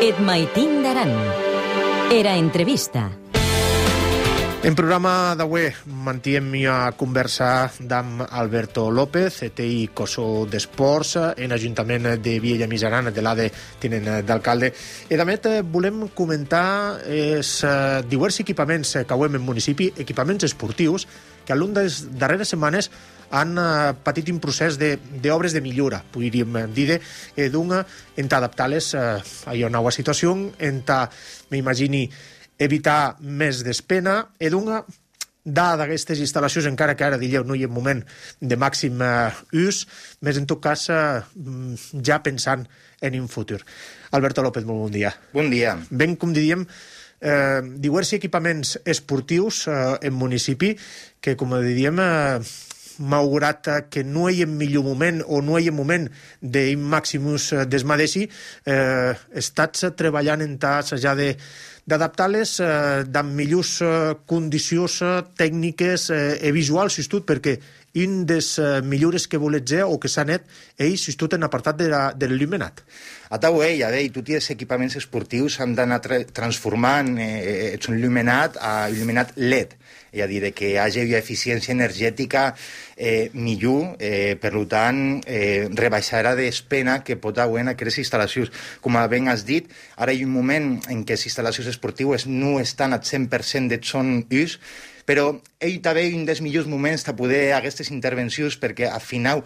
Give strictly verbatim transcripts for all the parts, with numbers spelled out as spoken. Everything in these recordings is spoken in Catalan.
Et maitin d'aran. Era entrevista. En programa d'avui mantiem a conversa amb Alberto López, E T I Coso d'Esports, en Ajuntament de Viella Misaran, de l'A D tinent d'alcalde. I també volem comentar els diversos equipaments que avui en municipi, equipaments esportius, que a l'un de les darreres setmanes han patit un procés d'obres de, de millora, podríem dir, d'una, en adaptar-les a una nova situació, en m'imagini evitar més despena, i d'una, dada d'aquestes instal·lacions, encara que ara, digueu, no hi ha un moment de màxim uh, ús, més en tot cas uh, ja pensant en un futur. Alberto López, molt bon dia. Bon dia. Ben, com diríem, eh, diversos equipaments esportius eh, en municipi que, com diríem, eh, malgrat que no hi ha millor moment o no hi ha moment d'un màxim ús desmadeixi, eh, estats treballant en tas ja de d'adaptar-les eh, amb millors eh, condicions eh, tècniques eh, i visuals, tot, perquè un dels eh, millores que volets dir o que s'ha net és, tot, en apartat de, la, de l'il·luminat. A tau ell, a veure, tots els equipaments esportius s'han d'anar tra transformant eh, un il·luminat a il·luminat L E D, és a dir, que hi hagi una eficiència energètica eh, millor, eh, per tant, eh, rebaixarà despena que pot haver en aquestes instal·lacions. Com ben has dit, ara hi ha un moment en què les instal·lacions esportives no estan al cent per cent de son ús, però ell també un dels millors moments de poder aquestes intervencions perquè al final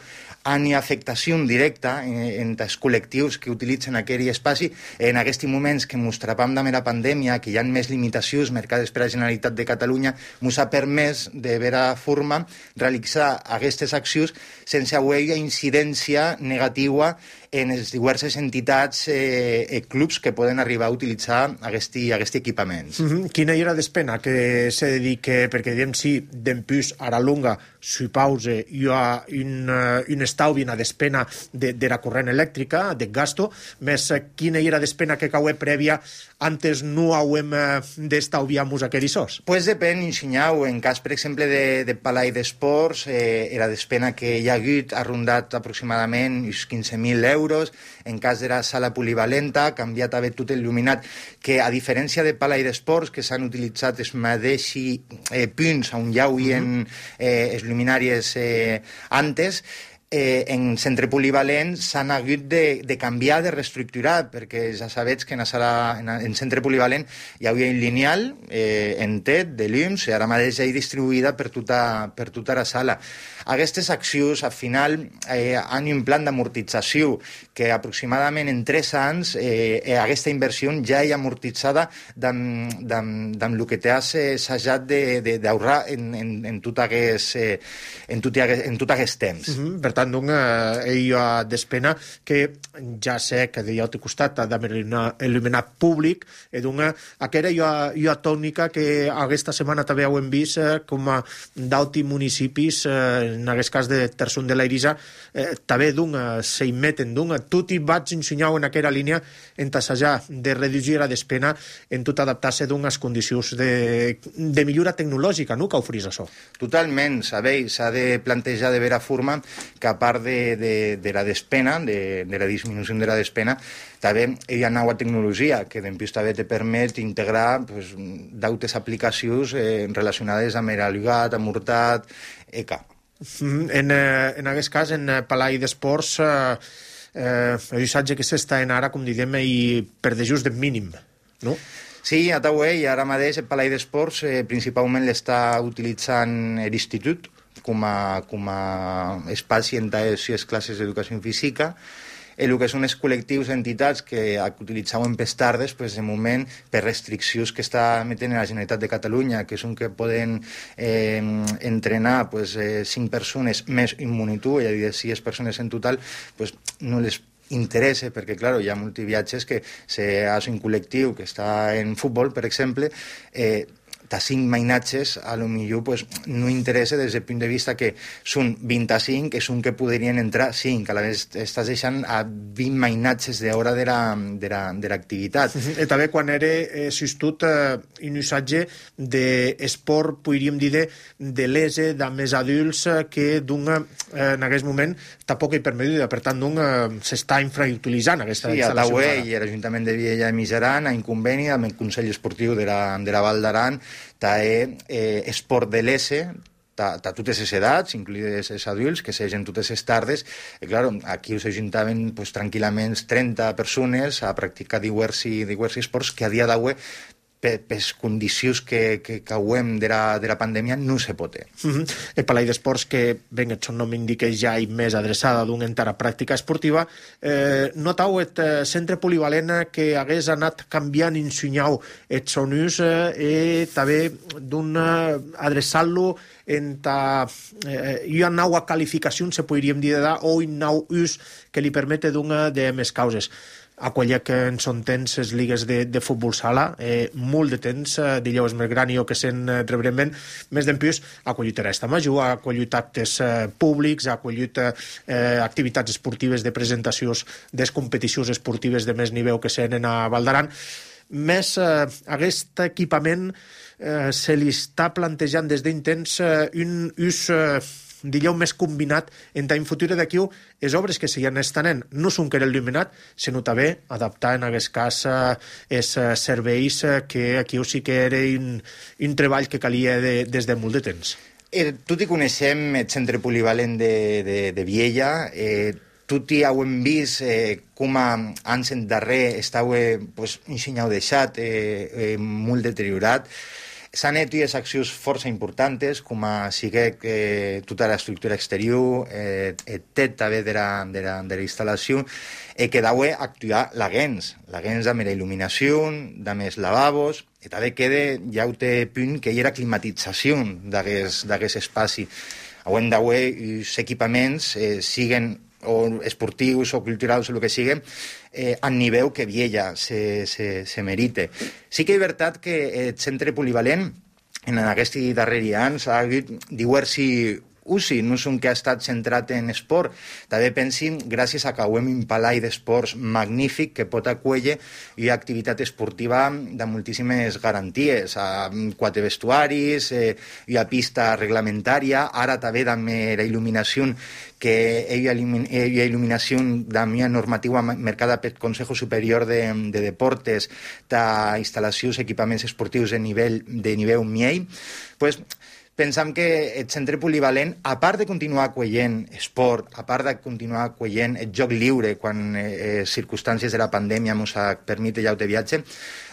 han afectació directa en els col·lectius que utilitzen aquell espai. En aquests moments que ens trobem amb la pandèmia, que hi ha més limitacions marcades per la Generalitat de Catalunya, ens ha permès de vera forma realitzar aquestes accions sense haver incidència negativa en les diverses entitats eh, i clubs que poden arribar a utilitzar aquests equipaments. Mm-hmm. Quina era despena que se dedique, perquè diem si d'empús a la longa supause hi ha un, un estalvi, una despena de, de la corrent elèctrica, de gasto, més quina era despena que caué prèvia antes no hauem d'estalviar-nos aquells sos? Pues depèn, ensenyau. En cas, per exemple, de, de Palai d'Esports, eh, la despena que hi ha hagut ha rondat aproximadament uns quinze mil euros. En cas de la sala polivalenta, ha canviat a tot il·luminat, que a diferència de Palai d'Esports, que s'han utilitzat els mateixos eh, punts on hi havia eh, els luminàries eh, antes, Eh, en centre polivalent s'han hagut de, de canviar, de reestructurar, perquè ja sabets que en, sala, en, en centre polivalent hi havia un lineal eh, en T E D de llums i ara mateix hi ha distribuïda per tota, per tota la sala. Aquestes accions, al final, eh, han un plan d'amortització que aproximadament en tres anys eh, aquesta inversió ja hi ha amortitzada amb el que t'has assajat d'ahorrar en, en, en tot aquest eh, en tot, en tot aquest temps. Mm-hmm. Per tant, doncs, eh, hi ha despena que ja sé que de l'altre costat ha d'il·luminar públic, i doncs aquella hi ha, hi ha tònica que aquesta setmana també ho hem vist eh, com a d'altres municipis, eh, en aquest cas de Terçon de l'Eirisa, eh, també doncs s'hi meten, doncs tot i vaig ensenyar en aquella línia en tassejar de reduir la despena en tot adaptar-se doncs a les condicions de, de millora tecnològica, no?, que oferís això. Totalment, sabeu, s'ha de plantejar de vera forma que a part de, de, de la despena, de, de la disminució de la despena, també hi ha nova tecnologia que d'empús també te permet integrar pues, d'altres aplicacions eh, relacionades amb l'alugat, amb hurtat, E C A. En, en aquest cas, en Palai d'Esports, eh, eh, el missatge que s'està en ara, com diguem, i per de just de mínim, no? Sí, a Taué, i ara mateix el Palai d'Esports eh, principalment l'està utilitzant l'institut com a, com a espai en les classes d'educació física. El que són els col·lectius, entitats que utilitzaven per tardes, pues, de moment, per restriccions que està metent la Generalitat de Catalunya, que són que poden eh, entrenar pues, eh, cinc persones més un monitor, és a dir, sis persones en total, pues, no les interessa, perquè, clar, hi ha molts viatges que si és un col·lectiu que està en futbol, per exemple, eh, ta cinc mainatges, a lo millor pues, no interessa des del punt de vista que són vint-i-cinc, és un que podrien entrar cinc, a la vegada estàs deixant a vint mainatges d'hora de l'activitat. Uh -huh. I també quan era eh, substitut eh, un usatge d'esport, podríem dir, de, de l'ese, de més adults, eh, que d'un, eh, en aquest moment tampoc hi permet, per tant, d'un eh, s'està infrautilitzant aquesta sí, instal·lació. Sí, a Taué i l'Ajuntament de Viella i Mijaran, en conveni amb el Consell Esportiu de la, de la Val d'Aran, té eh, esport de l'ese, a totes les edats, incluïdes els adults, que segen totes les tardes. I, clar, aquí us ajuntaven pues, tranquil·lament trenta persones a practicar diversos, diversos esports que a dia d'avui per les condicions que, que cauem de la, de la pandèmia no se pot. Uh -huh. El Palai d'Esports, que ben el seu nom indica ja i més adreçada d'un entara pràctica esportiva, eh, notau el eh, centre polivalent que hagués anat canviant i ensenyau el son ús eh, i també d'un eh, adreçar-lo en ta, eh, una nova qualificació, se podríem dir, o un nou ús que li permete d'una de més causes. Aquella que en són temps les ligues de, de futbol sala, eh, molt de temps, eh, digueu és més gran i jo que se'n eh, rebrement, més d'empius ha acollit Aresta Major, ha acollit actes eh, públics, ha acollit eh, activitats esportives de presentacions des competicions esportives de més nivell que senen a Val d'Aran. Més eh, aquest equipament eh, se li està plantejant des d'un temps eh, un ús eh, digueu, més combinat en tant futur d'aquí les obres que s'hi estan no són que era il·luminat, sinó també adaptar en aquest cas els eh, serveis eh, que aquí sí que era un, un treball que calia de, des de molt de temps. Eh, tot i coneixem el centre polivalent de, de, de Viella, eh, tot i hem vist eh, com a anys endarrer estava eh, pues, un senyal deixat, eh, eh, molt deteriorat. S'han fet unes accions força importants, com a sigue eh, tota l'estructura exterior, eh, el tet també de la, de la, de la instal·lació, eh, que deu actuar la gens, la gens amb la il·luminació, amb els lavabos, i també queda ja un punt que hi era climatització d'aquest espai. Avui deu els equipaments eh, siguen o esportius o culturals o el que sigui, eh, a nivell que Viella se, se, se merite. Sí que és veritat que el centre polivalent en aquests darrers anys ha hagut diversos usi, no és un que ha estat centrat en esport. També pensin, gràcies a que hem un palai d'esports magnífic que pot acollir una activitat esportiva de moltíssimes garanties, a quatre vestuaris, eh, una pista reglamentària, ara també amb la il·luminació que hi ha il·luminació de la normativa marcada pel Consejo Superior de, de Deportes d'instal·lacions, equipaments esportius de nivell, de nivell M I E I, pues, pensam que el centre polivalent, a part de continuar acollint esport, a part de continuar acollint el joc lliure quan eh, circumstàncies de la pandèmia ens permeten ja de viatge,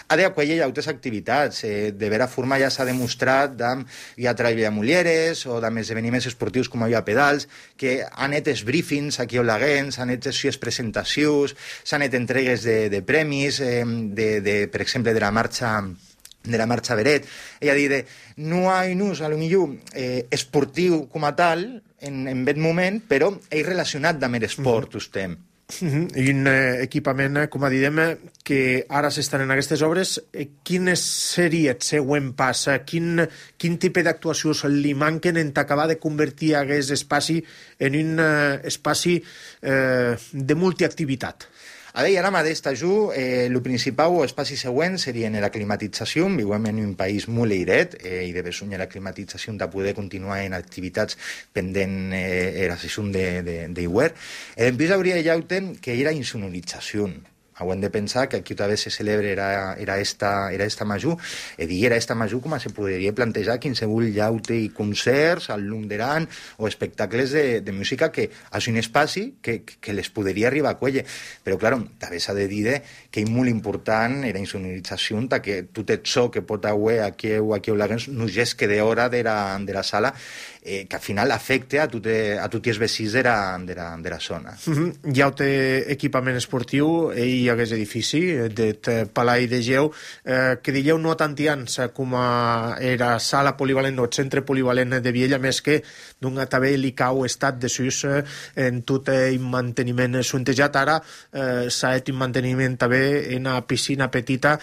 ha d'acollir altres activitats. Eh, de vera forma ja s'ha demostrat amb hi ha treball de mulleres o amb esdeveniments esportius com hi ha pedals, que han fet els briefings aquí a Olaguens, han fet les presentacions, s'han fet entregues de, de premis, eh, de, de, per exemple, de la marxa de la marxa Beret, és a dir, de, no hi ha un ús, a lo millor, eh, esportiu com a tal, en, en aquest moment, però és relacionat amb l'esport, mm-hmm. estem. Mm-hmm. I un eh, equipament, com a diem, que ara s'estan en aquestes obres, eh, quin seria el següent pas? Quin, quin tipus d'actuacions li manquen en acabar de convertir aquest espai en un eh, espai eh, de multiactivitat? A veure, ara mateix t'ajudo, eh, el principal o espaci següent seria en la climatització. Vivim en un país molt airet eh, i de besonja la climatització de poder continuar en activitats pendent eh, la sessió d'hivern. I després hauria de llaute que era insonorització. Hauem de pensar que aquí també se celebra era, era, esta, era esta major, i dir era esta major com se podria plantejar qualsevol llaute i concerts al lung d'Aran o espectacles de, de música que és un espai que, que les podria arribar a cuellar. Però, clar, també s'ha de dir que és molt important la insonorització, que tot això que pot haver aquí o aquí a Olaguens no és que d'hora de, la, de la sala, eh, que al final afecta a tots a tot els vecins de la, de la, de la zona. Mm-hmm. Hi ha un equipament esportiu i hi hagués edifici del Palai de Geu, eh, que dieu no tant ans com a era sala polivalent o centre polivalent de Viella, més que d'un també li cau estat de sus eh, en tot el manteniment suntejat. Ara eh, s'ha fet un manteniment també en una piscina petita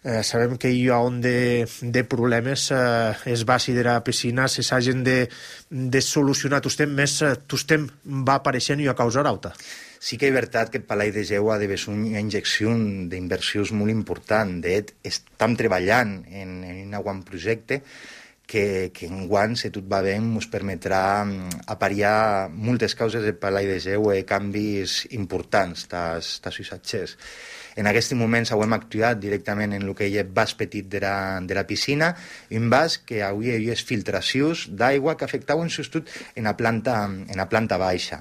eh, sabem que hi ha on de, de problemes eh, es basi de la piscina se s'hagin de, de solucionar tostem més, eh, tostem va apareixent i a causar alta. Sí que és veritat que el Palai de Geu ha de ser una injecció d'inversions molt important. De fet, estem treballant en, en un bon projecte que, que enguany, si tot va bé, ens permetrà apariar moltes causes del Palai de Geu i canvis importants dels usatgers. En aquest moment hem actuat directament en el que hi ha vas petit de la, de la piscina, un vas que avui hi ha filtracions d'aigua que afectaven sobretot en la planta, en la planta baixa.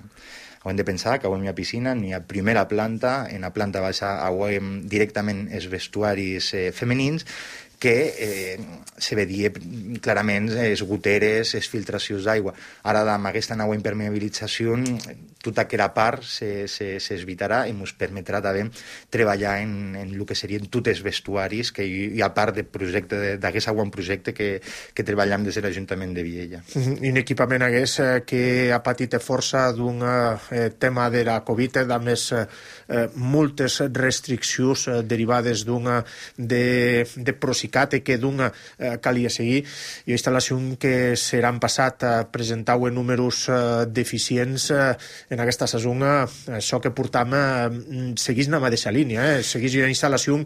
Hem de pensar que avui hi ha piscina, ni a primera planta, en la planta baixa avui directament els vestuaris eh, femenins, que eh, se veia clarament les goteres, les filtracions d'aigua. Ara, amb aquesta nova impermeabilització, tota aquella part s'evitarà i ens permetrà també treballar en, en el que serien tots els vestuaris, que hi ha part del projecte, d'aquest bon projecte que, que treballem des de l'Ajuntament de Viella. Mm-hmm. Un equipament hagués eh, que ha patit força d'un eh, tema de la Covid, a més eh, moltes restriccions eh, derivades d'una de, de prosicat que d'una eh, calia seguir i instal·lació que seran passat a presentar en números eh, deficients eh, en aquesta saison, eh, això que portam eh, seguís en la mateixa línia, eh, seguís una instal·lació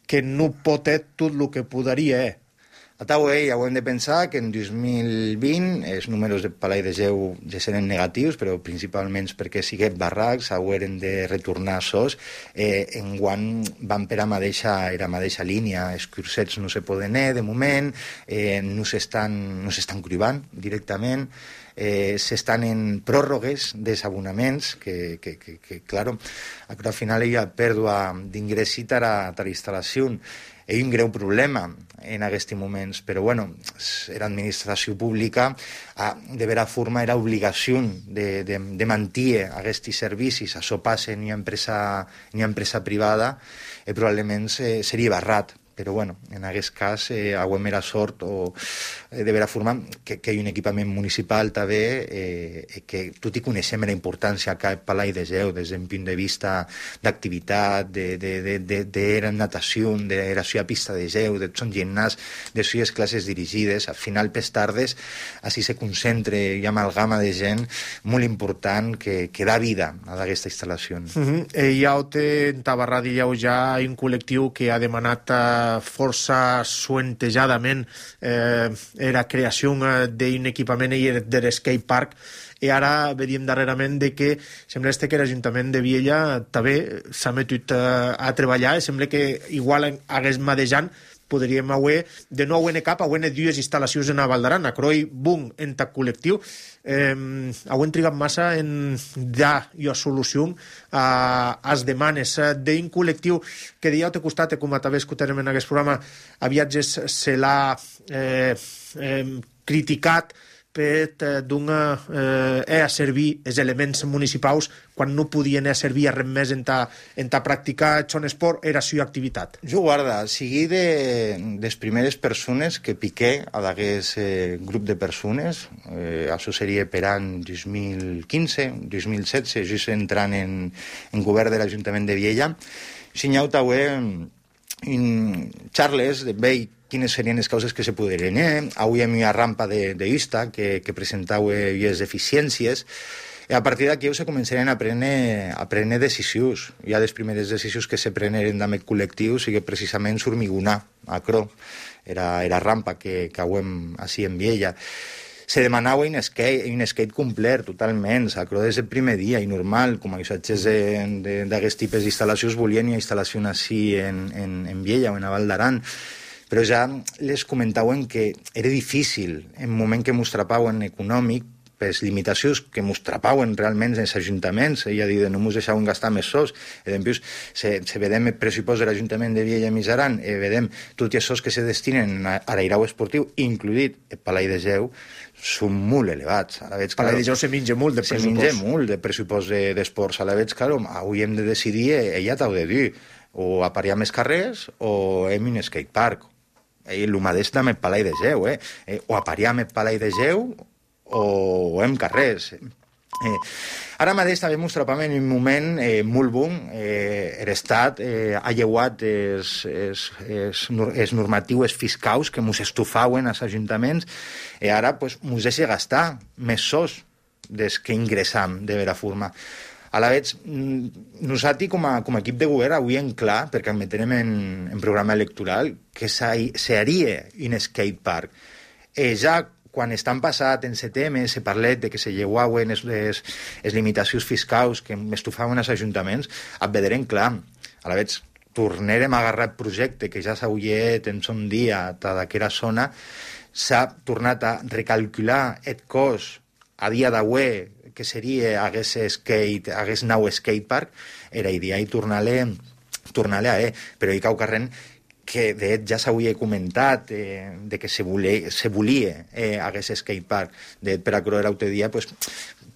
que no pot ser tot el que podria, eh. A Taué ja ho hem de pensar que en dos mil vint els números del Palai de Geu ja seran negatius, però principalment perquè siguem barracs, haurem de retornar sos. Eh, enguany van per a mateixa, la mateixa línia, els cursets no se poden anar de moment, eh, no s'estan no s'estan cribant directament, eh, s'estan en pròrrogues dels abonaments, que, que, que, que claro, al final hi ha pèrdua d'ingressi a la instal·lació. Hi ha un greu problema en aquests moments, però bueno, l'administració pública de vera forma era obligació de, de, de mantenir aquests servicis, això passa ni a empresa, ni a empresa privada, i probablement seria barrat. Però bueno, en aquest cas eh, haguem era sort o, eh, de vera forma que, que hi ha un equipament municipal també eh, que tot i coneixem la importància que el Palai de Geu des d'un punt de vista d'activitat, de, de, de, de, de era natació, de la seva pista de geu, de son gimnàs, de sues classes dirigides, al final pes tardes així se concentre i amalgama de gent molt important que, que da vida a aquesta instal·lació. Mm-hmm. eh, hi ha en Tabarra dieu ja un col·lectiu que ha demanat a força suentejadament eh, la creació d'un equipament de l'skate park i ara veiem darrerament de que sembla que l'Ajuntament de Viella també s'ha metut a treballar i sembla que igual hagués madejant podríem haver de nou en cap, haver dues instal·lacions en a Val d'Aran, a Croi, Bung, en tac col·lectiu. Eh, hauen trigat massa en dar i a solució a les demanes d'un col·lectiu que dia te costat, com també escoltarem en aquest programa, a viatges se l'ha eh, eh, criticat per donar eh, a servir els elements municipals quan no podien a servir a res més en ta, en ta practicar son esport era la seva activitat. Jo guarda, sigui de les primeres persones que piqué a d'aquest eh, grup de persones, eh, això seria per any dos mil quinze, dos mil setze, just entrant en, en govern de l'Ajuntament de Viella, signau també un Charles de Vell quines serien les causes que se podrien fer. Avui hi ha una rampa d'Ista que, que presentau les deficiències. I a partir d'aquí se començarien a prendre, a prendre decisions. Hi ha les primeres decisions que se preneren amb el col·lectiu, sigui precisament s'hormigonar a Cro. Era, era rampa que, que hauem així en Viella. Se demanava un skate, un skate complet, totalment, a Cro des del primer dia, i normal, com a usatges d'aquest tipus d'instal·lacions volien una instal·lació així en, en, en Viella o en Val d'Aran. Però ja les comentaven que era difícil, en el moment que mos trapaven econòmic, per les limitacions que mos trapaven realment els ajuntaments, ella ha dit no mos deixaven gastar més sols, i després se, se vedem el pressupost de l'Ajuntament de Viella i Misaran, i vedem tots els sols que se destinen a l'airau esportiu, incluït el Palai de Geu, són molt elevats. A la veig, Palai de Geu se menja molt de pressupost. Se menja molt de pressupost d'esports. A la veig, clar, avui hem de decidir, ella t'ho de dir, o aparear més carrers o hem un skate park. El mateix amb el Palai de Geu, eh? O aparear amb el Palai de Geu o hem carrers. Eh, ara mateix també mos trobam en un moment eh, molt bon. Eh, L'Estat eh, ha lleuat els, els, els, els normatius fiscals que mos estufauen als ajuntaments i ara pues, mos deixa gastar més sos des que ingressam de vera forma. A la vegada, nosaltres com a, com a equip de govern avui en clar, perquè admetem en, en programa electoral, que seria un skatepark. Eh, ja quan estan passat en setembre, se parlet de que se lleuaven les, les, les limitacions fiscals que estufaven els ajuntaments, et veurem clar. A la vegada, tornarem a agarrar el projecte que ja s'ha ullet en son dia a d'aquella zona, s'ha tornat a recalcular el cost a dia d'avui que seria hagués skate, hagués nau skatepark, era idea i tornar-le tornar-le a eh. Però hi cau carrent que de fet ja s'havia comentat eh, de que se volia, se volia eh, hagués skatepark. De fet, per a Croer l'altre dia pues,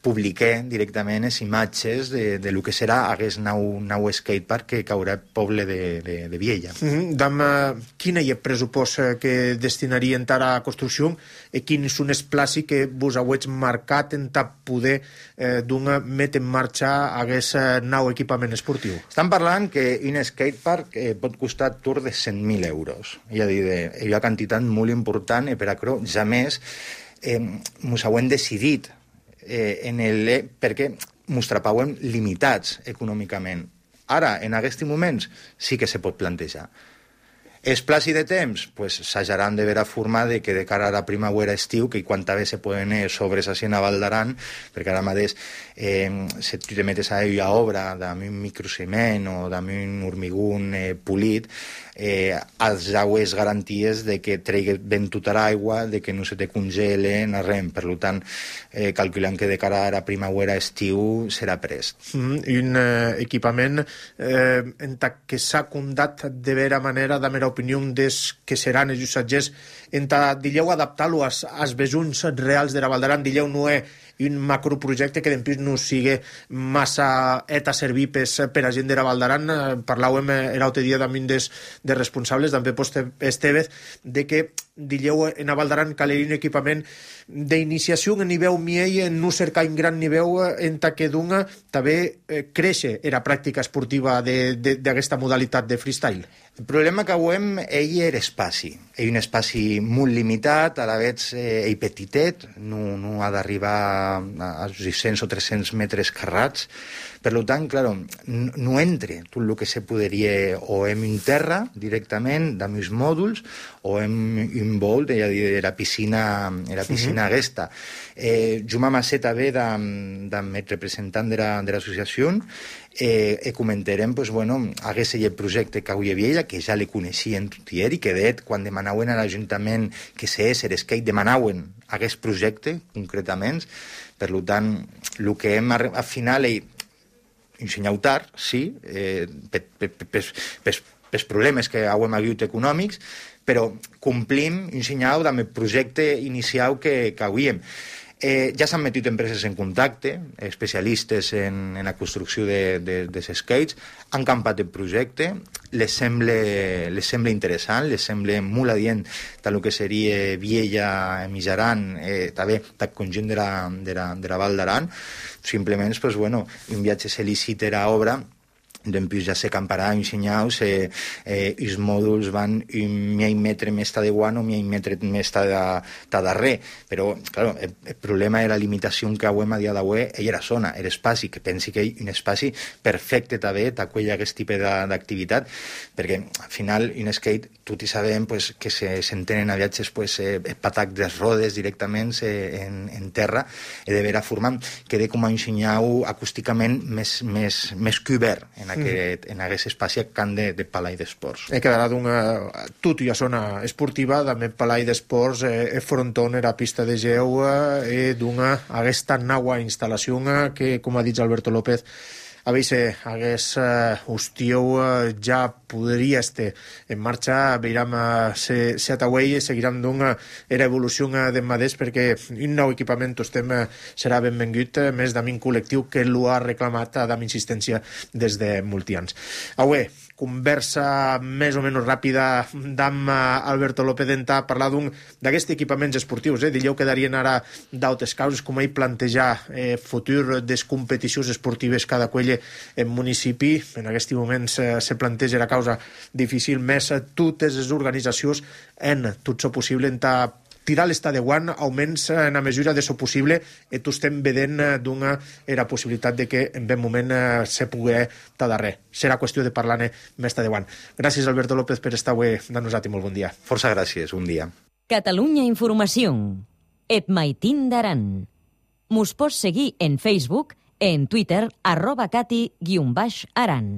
publiqué directament les imatges de, de lo que serà hagués nau, nau skatepark que caurà al poble de, de, de Viella. Mm-hmm. Dam, uh, quin és el pressupost que destinarien a la construcció i quins són els plàcids que vos hauets marcat en ta poder eh, d'una met en marxa hagués uh, nau equipament esportiu? Estan parlant que un skatepark eh, pot costar tur de cent mil euros. És a dir, de, hi ha quantitat molt important i per a Cro, ja més, eh, mos hauem decidit eh, en el, eh, perquè mos trapauem limitats econòmicament. Ara, en aquests moments, sí que se pot plantejar. Els plàcids de temps, pues, s'hajaran de vera forma de que de cara a la primavera estiu, que quan també se poden eh, sobres així a Val d'Aran, perquè ara mateix eh, si tu te metes a ella obra amb un microciment o amb un hormigón eh, polit, eh, els jaues garanties de que tregui ben tota l'aigua, de que no se te congelen, res. Per tant, eh, calculant que de cara a la primavera estiu serà prest. Mm, un eh, equipament eh, en ta que s'ha condat de vera manera, de mera opinió des que seran els usatgers, en ta dilleu adaptar-lo als, als besuns reals de la Val d'Aran, dilleu no és un macroprojecte que després no sigui massa et a servir per a gent de la Val d'Aran. Parlàvem l'altre dia amb un dels de responsables, també post Estevez, de que dilleu en la Val d'Aran caleria un equipament d'iniciació a nivell miei, no cercar un gran nivell en ta que d'una també eh, créixer la pràctica esportiva d'aquesta modalitat de freestyle. El problema que avem ell era espaci. Ell un espaci molt limitat, a la vegada eh, ell petitet, no, no ha d'arribar als sis cents o tres-cents metres carrats. Per tant, claro, no entre tot el que se podria o en un terra directament, amb els mòduls, o en un vol de la piscina, la piscina uh-huh. aquesta. Eh, Juma Massé també, del representant de l'associació, eh, eh, comentarem, pues, bueno, hagués el projecte que avui hi havia, que ja le coneixien tot i ell, i que de quan demanaven a l'Ajuntament que se és el skate, demanaven aquest projecte, concretament. Per tant, el que hem al final és ensenyar tard, sí, eh, pels problemes que hem hagut econòmics, però complim ensenyar amb el projecte inicial que, que havíem. Eh, ja s'han metit empreses en contacte, especialistes en, en la construcció de, de, de skates, han campat el projecte, les sembla, les sembla interessant, les sembla molt adient del que seria Viella, Mijaran, eh, també del conjunt de la, de la, de la Val d'Aran. Simplement, pues, bueno, un viatge se licita a obra, després ja se camparà ensenyar-los, eh, eh, els mòduls van un mig metre més de guant o mig metre més de darrer, però clar, el, el problema de la limitació que avui a dia d'avui era la zona, l'espai, que pensi que és un espai perfecte també d'acollir aquest tipus d'activitat, perquè al final un skate, tots hi sabem pues, que s'entenen a viatges pues, eh, el patac de rodes directament eh, en, en terra, i de vera forma queda com a ensenyar-ho acústicament més, més, més cobert en aquest, en aquest espai que han de, de Palai d'Esports. E quedarà d'una... Tot i a zona esportiva, també Palai d'Esports, eh, fronton era pista de geu, eh, d'una aquesta nova instal·lació que, com ha dit Alberto López, a veure si hagués uh, hostieu uh, ja podria estar en marxa, veiram uh, se, se atauei i seguiram d'una era evolució uh, de maders perquè un nou equipament estem uh, serà benvengut, uh, més d'amic col·lectiu que l'ho ha reclamat uh, amb insistència des de molts anys. Avui, conversa més o menys ràpida d'amb Alberto López d'entà parlar d'un d'aquests equipaments esportius. Eh? Dilleu quedarien ara d'altres causes, com ell plantejar eh, futur des competicions esportives cada quelle en municipi. En aquest moment se, se planteja la causa difícil, més totes les organitzacions en tot això possible entà tirar l'estat de guant, almenys en la mesura de so possible, i tu estem vedent d'una era possibilitat de que en ben moment eh, se pugui estar darrer. Serà qüestió de parlar-ne més de guant. Gràcies, Alberto López, per estar avui amb nosaltres. Molt bon dia. Força gràcies, un dia. Catalunya Informació. Et maitin d'aran. Mos pots seguir en Facebook, en Twitter, arroba cati guion baix aran.